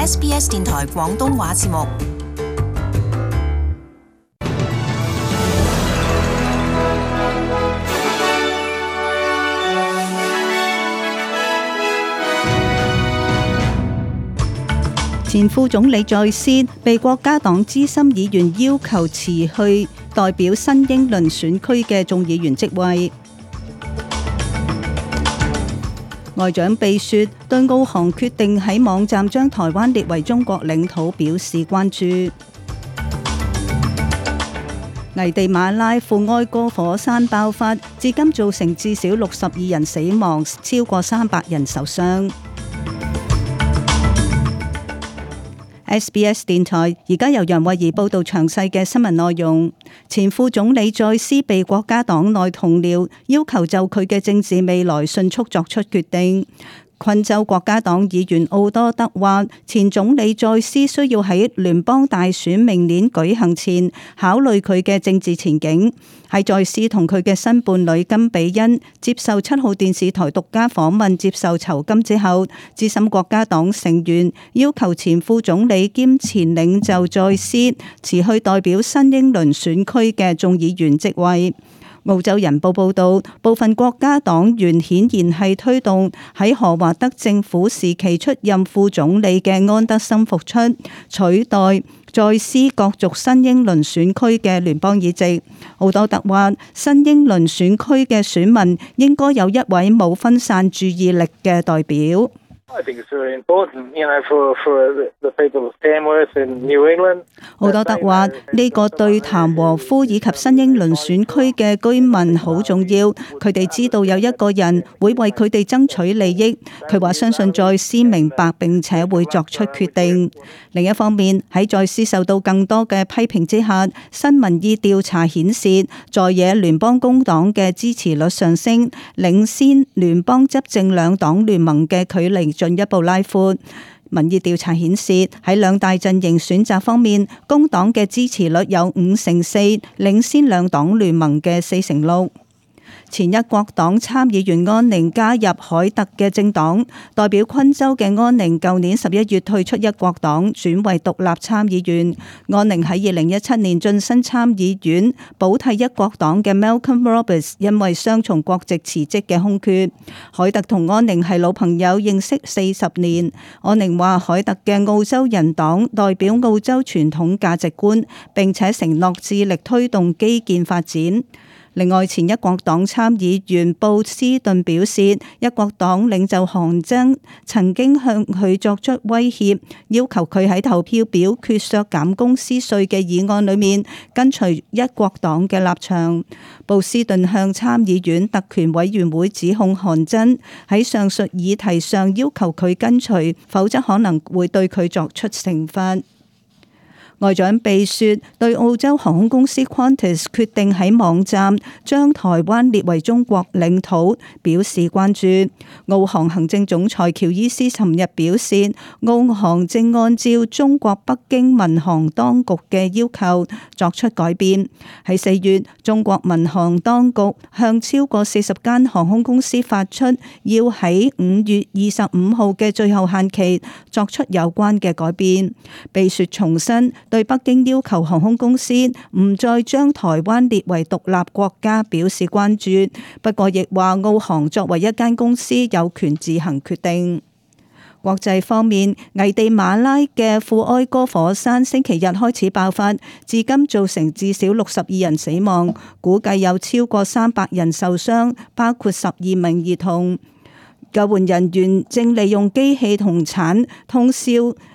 SBS 電台廣東話節目。前副總理在斯被國家黨資深議員要求辭去代表新英倫選區嘅眾議員職位。外長貝雪對澳航決定喺網站將台灣列為中國領土表示關注。危地馬拉富埃哥火山爆發，至今造成至少62人死亡，超過300人受傷。SBS 電台而家由楊慧儀報道詳細嘅新聞內容。前副總理在斯被國家黨內同僚要求就佢嘅政治未來迅速作出決定。昆州國家黨議員奧多德話，前總理在斯需要喺聯邦大選明年舉行前考慮佢嘅政治前景。喺在斯同佢嘅新伴侶金比恩接受7號電視台獨家訪問接受酬金之後，資深國家黨成員要求前副總理兼前領袖在斯辭去代表新英倫選區嘅眾議員職位。澳洲人報報導，部分國家黨員顯然係推動喺何華德政府時期出任副總理嘅安德森復出，取代在斯角逐新英倫選區嘅聯邦議席。奧多特話，新英倫選區嘅選民應該有一位冇分散注意力嘅代表。奧多德話：呢個對譚和夫以及新英倫選區嘅居民好重要，佢哋知道有一個人會為佢哋爭取利益。佢話相信在斯明白並且會作出決定。另一方面，喺在斯受到更多嘅批評之下，新民意調查顯示，在野聯邦工黨嘅支持率上升，領先聯邦執政兩黨聯盟嘅距離進一步拉闊。民意調查顯示，喺兩大陣營選擇方面，工黨嘅支持率有5%，領先兩黨聯盟嘅4%。前一國黨參議員安寧加入凱特嘅政黨，代表昆州嘅安寧舊年11月退出一國黨，轉為獨立參議員。安寧喺2017年晉身參議院，補替一國黨嘅 Malcolm Roberts 因為雙重國籍辭職嘅空缺。凱特同安寧係老朋友，認識40年。安寧話凱特嘅澳洲人黨代表澳洲傳統價值觀，並且承諾致力推動基建發展。另外，前一國黨參議員布斯頓表示，一國黨領袖韓正曾經向佢作出威脅，要求佢喺投票表決削減公司稅嘅議案裏面跟隨一國黨嘅立場。布斯頓向參議院特權委員會指控韓正喺上述議題上要求佢跟隨，否則可能會對佢作出懲罰。外長貝雪對澳洲航空公司 Qantas 決定喺網站將台灣列為中國領土表示關注。澳航行政總裁喬伊斯尋日表示，澳航正按照中國北京民航當局嘅要求作出改變。喺4月，中國民航當局向超過40間航空公司發出要喺5月25號嘅最後限期作出有關嘅改變。貝雪重申對北京要求航空公司唔再將台灣列為獨立國家表示關注，不過亦話澳航作為一間公司有權自行決定。國際方面，危地馬拉嘅富埃哥火山星期日開始爆發，至今造成至少62人死亡，估計有超過300人受傷，包括12名兒童。救援人員正利用機器同鏟通宵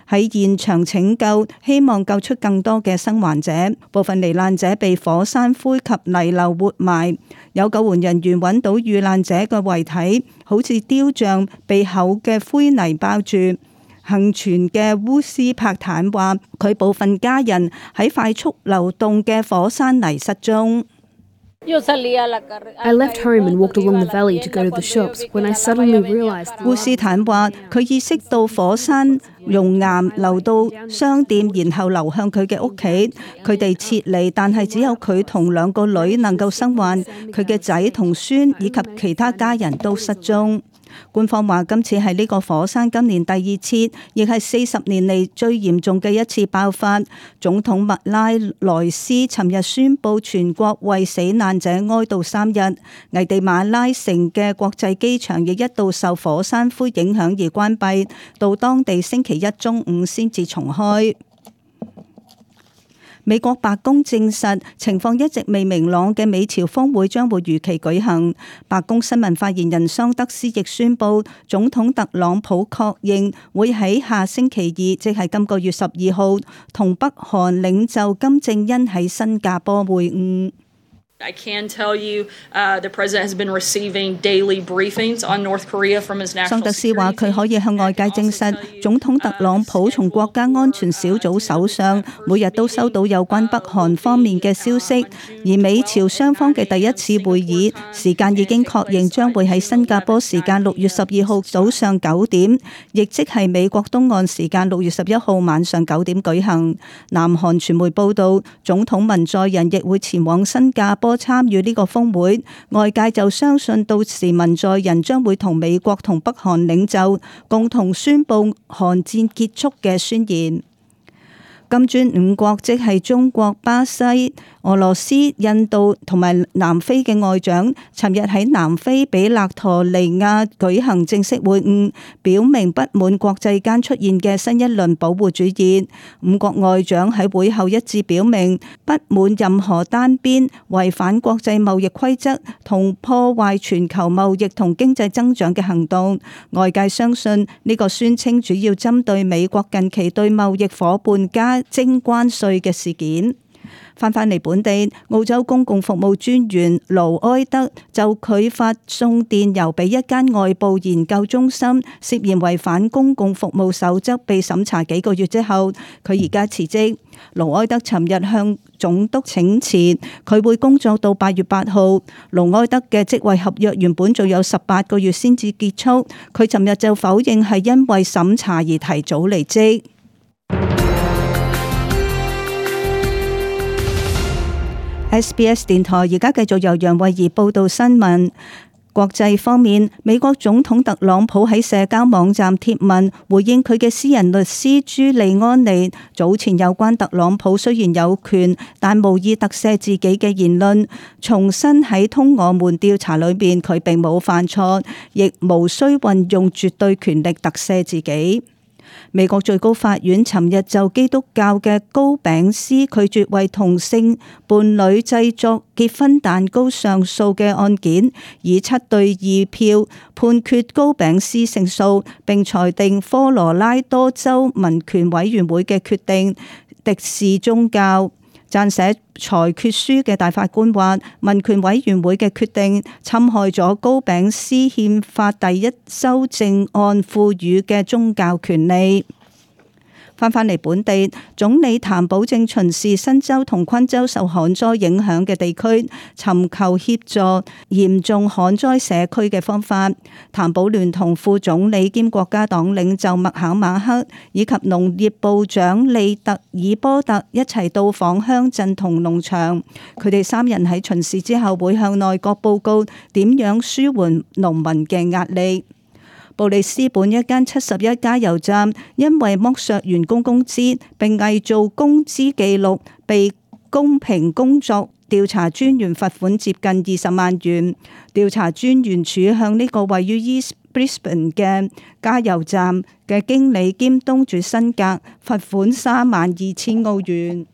喺現場拯救，希望救出更多嘅生還者。部分罹難者被火山灰及泥流活埋。有救援人員揾到遇難者嘅遺體，好似雕像被厚嘅灰泥包住。幸存嘅烏斯帕坦話，佢部分家人喺快速流動嘅火山泥失蹤。I left home and walked along the valley to go to the shops when I suddenly realized. 烏斯坦話，佢意識到火山熔岩流到商店，然後流向佢嘅屋企。佢哋撤離，但係只有佢同2個女能夠生還，佢嘅仔同孫以及其他家人都失蹤。官方話今次係呢個火山今年第二次，亦係40年嚟最嚴重嘅一次爆發。總統麥拉萊斯尋日宣布全國為死難者哀悼3日。危地馬拉城嘅國際機場亦一度受火山灰影響而關閉，到當地星期一中午先至重開。美國白宮證實，情況一直未明朗嘅美朝峰會將會如期舉行。白宮新聞發言人桑德斯亦宣布，總統特朗普確認會喺下星期二，即係今個月12號，同北韓領袖金正恩喺新加坡會晤。I can tell you, the president has been receiving daily briefings on North Korea from his national security team. 桑德斯話佢可以向外界證實，總統特朗普從國家安全小組手上每日都收到有關北韓方面嘅消息，而美朝雙方嘅第一次會議時間已經確認將會喺新加坡時間6月12號早上9點，亦即係美國東岸時間6月11號晚上9點舉行。南韓傳媒報道，總統文在寅亦會前往新加坡參與呢個峰會，外界就相信到時文在寅將會同美國同北韓領袖共同宣布韓戰結束嘅宣言。金磚5國即係中國、巴西、俄羅斯、印度同埋南非嘅外長，尋日喺南非比勒陀利亞舉行正式會晤，表明不滿國際間出現嘅新一輪保護主義。5國外長喺會後一致表明，不滿任何單邊違反國際貿易規則同破壞全球貿易同經濟增長嘅行動。外界相信呢個宣稱主要針對美國近期對貿易夥伴加徵關稅嘅事件。翻返嚟本地，澳洲公共服務專員盧埃德就佢發送電郵俾一間外部研究中心，涉嫌違反公共服務守則被審查幾個月之後，佢而家辭職。盧埃德尋日向總督請辭，佢會工作到8月8號。盧埃德嘅職位合約原本仲有18個月先至結束，佢尋日就否認係因為審查而提早離職。SBS 電台而家繼續由楊慧儀報道新聞。國際方面，美國總統特朗普喺社交網站貼文回應佢嘅私人律師朱利安尼早前有關特朗普雖然有權但無意特赦自己嘅言論，重申喺通俄門調查裏邊佢並冇犯錯，亦無需運用絕對權力特赦自己。美國最高法院尋日就基督教嘅糕餅師拒絕為同性伴侶製作結婚蛋糕上訴嘅案件，以7-2票判決糕餅師勝訴，並裁定科羅拉多州民權委員會嘅決定敵視宗教。撰寫裁決書嘅大法官話，民權委員會嘅決定侵害咗糕餅師憲法第1修正案賦予嘅宗教權利。翻返嚟本地，總理譚寶正巡視新州同昆州受旱災影響嘅地區，尋求協助嚴重旱災社區嘅方法。譚寶聯同副總理兼國家黨領袖麥考馬克以及農業部長利特爾波特一齊到訪鄉鎮同農場。佢哋3人喺巡視之後會向內閣報告點樣舒緩農民嘅壓力。布里斯本一間71加油站因為剝削員工工資並偽造工資記錄，被公平工作調查專員罰款接近20萬元。調查專員處向呢個位於 East Brisbane 嘅加油站嘅經理兼東主辛格罰款32,000澳元。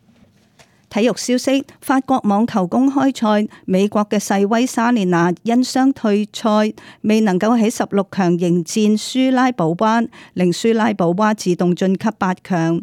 體育消息：法國網球公開賽，美國嘅世威莎蓮娜因傷退賽，未能夠喺16強迎戰舒拉保娃，令舒拉保娃自動晉級8強。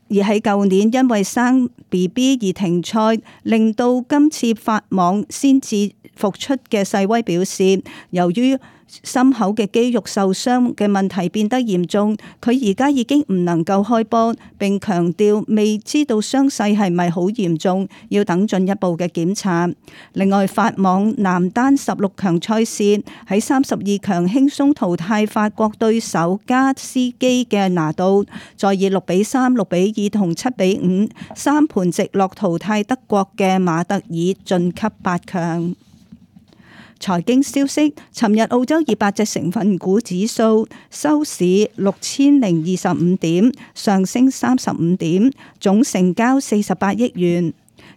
而喺舊年因為生 BB 而停賽，令到今次法網先至復出嘅世威表示，由於心口嘅肌肉受傷嘅問題變得嚴重，佢而家已經唔能夠開波，並強調未知道傷勢係咪好嚴重，要等進一步嘅檢查。另外，法網男單16強賽事喺32強輕鬆淘汰法國對手加斯基嘅拿度，再以6-3、6-2同7-5三盤直落淘汰德國嘅馬特爾晉級8強。財經消息，尋日澳洲200隻成分股指數收市6025點，上升35點，總成交48億元。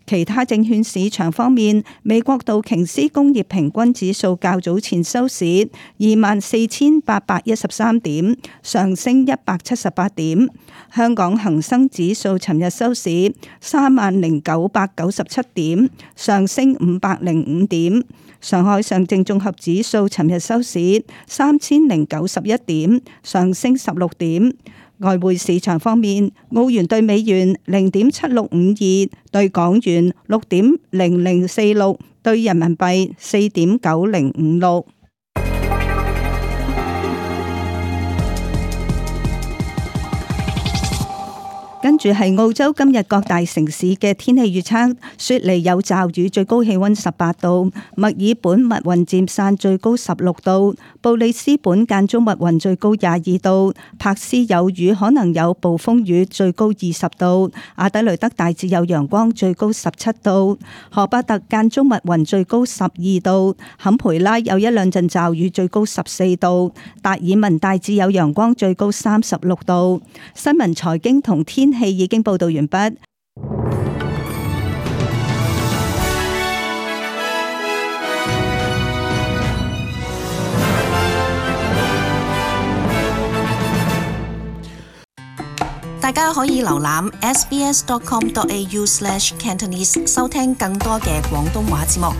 其他證券市場方面，美國道瓊斯工業平均指數較早前收市24,813點，上升178點。香港恒生指數尋日收市30,997點，上升505點。上海上證綜合指數尋日收市3091點，上升16點。外匯市場方面，澳元兌美元0.7652，兌港元6.0046，兌人民幣4.9056。跟住係澳洲今日各大城市嘅天氣預測：雪梨有驟雨，最高氣溫18度；墨爾本密雲漸散，最高16度；布里斯本間中密雲，最高22度；柏斯有雨，可能有暴風雨，最高20度；阿德雷德大致有陽光，最高17度；荷巴特間中密雲，最高12度；坎培拉有一兩陣驟雨，最高14度；達爾文大致有陽光，最高36度。新聞財經同天氣已經報道完畢。大家可以瀏覽 sbs.com.au/cantonese 收聽更多嘅廣東話節目。